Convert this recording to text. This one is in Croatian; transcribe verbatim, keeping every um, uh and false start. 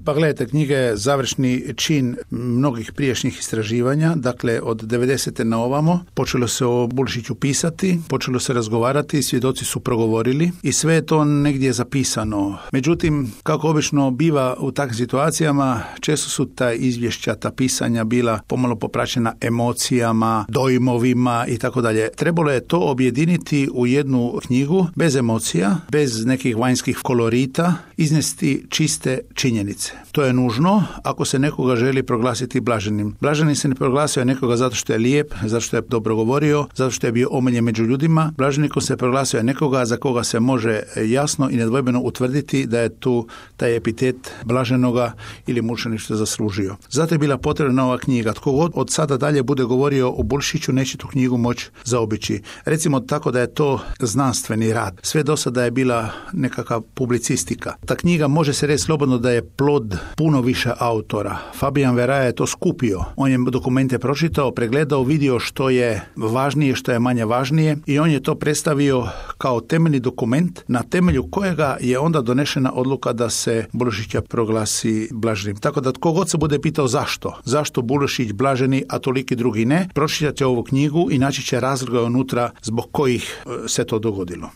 Pa gledajte, knjiga je završni čin mnogih prijašnjih istraživanja, dakle od devedesete na ovamo počelo se o Bulešiću pisati, počelo se razgovarati, svjedoci su progovorili i sve je to negdje zapisano. Međutim, kako obično biva u takvim situacijama, često su ta izvješća, ta pisanja bila pomalo popraćena emocijama, dojmovima i tako dalje. Trebalo je to objediniti u jednu knjigu bez emocija, bez nekih vanjskih kolorita, iznesti čiste činjenice. To je nužno ako se nekoga želi proglasiti blaženim. Blaženim se ne proglasio nekoga zato što je lijep, zato što je dobro govorio, zato što je bio omiljen među ljudima. Blaženikom se proglasio nekoga za koga se može jasno i nedvojbeno utvrditi da je tu taj epitet blaženoga ili mučeništva zaslužio. Zato je bila potrebna ova knjiga. Tko god od sada dalje bude govorio o Bulešiću neće tu knjigu moći zaobići. Recimo tako da je to znanstveni rad. Sve do sada je bila nekakva publicistika. Ta knjiga može se reći slobodno da je plod puno više autora. Fabian Veraja je to skupio. On je dokumente pročitao, pregledao, vidio što je važnije, što je manje važnije i on je to predstavio kao temeljni dokument na temelju kojega je onda donešena odluka da se Bulešića proglasi blaženim. Tako da tko god se bude pitao zašto, zašto Bulešić blaženi, a toliki drugi ne, pročitate ovu knjigu i naći će razloga unutra zbog kojih se to dogodilo.